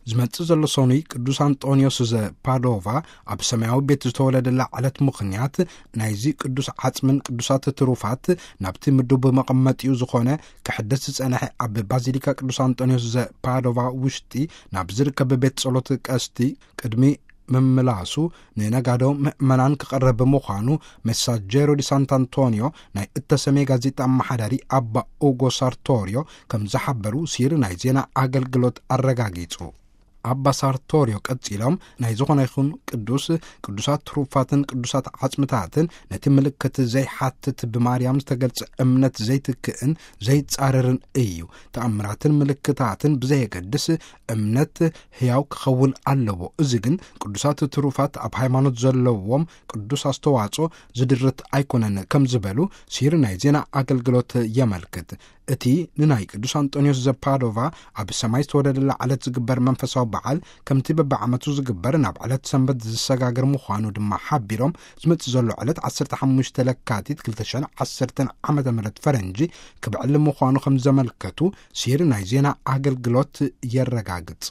ዝመጽእ ዘሎ ሰኑይ ቅዱስ ኣንጦንዮስ ዘፓዶቫ ኣብ ሰማያዊ ቤት ዝተወለደላ ዕለት ምኽንያት፣ ናይዚ ቅዱስ ዓጽምን ቅዱሳት ትሩፋት ናብቲ ምዱብ መቐመጢኡ ዝኾነ ክሕደስ ዝጸንሐ ኣብ ባዚሊካ ቅዱስ ኣንጦንዮስ ዘፓዶቫ ውሽጢ ናብ ዝርከብ ቤት ጸሎት ቀስቲ ቅድሚ ምምላሱ፣ ንነጋዶ ምእመናን ክቐርብ ብምዃኑ፣ ሜሳጀሮ ዲ ሳንት ኣንቶኒዮ ናይ እተሰምየ ጋዜጣ ኣመሓዳሪ ኣባ ኡጎ ሳርቶሪዮ ከም ዝሓበሩ ሲር ናይ ዜና ኣገልግሎት ኣረጋጊጹ። ኣባ ሳርቶሪዮ ቀጺሎም፣ ናይ ዝኾነ ይኹን ቅዱስ፣ ቅዱሳት ትሩፋትን ቅዱሳት ዓጽምታትን ነቲ ምልክት ዘይሓትት፣ ብማርያም ዝተገልጸ እምነት ዘይትክእን ዘይጻረርን እዩ። ተኣምራትን ምልክታትን ብዘየገድስ እምነት ህያው ክኸውን ኣለዎ። እዚ ግን ቅዱሳት ትሩፋት ኣብ ሃይማኖት ዘለዎም ቅዱስ ኣስተዋጽኦ ዝድርት ኣይኮነን ከም ዝበሉ ሲር ናይ ዜና ኣገልግሎት የመልክት። እቲ ንናይ ቅዱስ ኣንጦንዮስ ዘፓዶቫ ኣብ ሰማይ ዝተወለደላ ዕለት ዝግበር መንፈሳዊ በዓል ከምቲ በብዓመቱ ዝግበር ናብ ዕለት ሰንበት ዝሰጋገር ምዃኑ ድማ ሓቢሮም፣ ዝመጽእ ዘሎ ዕለት ዓሰርተ ሓሙሽተ ለካቲት ክልተ ሽሕን ዓሰርተን ዓመተ ምህረት ፈረንጂ ክብዕል ምዃኑ ከም ዘመልከቱ ሲር ናይ ዜና ኣገልግሎት የረጋግጽ።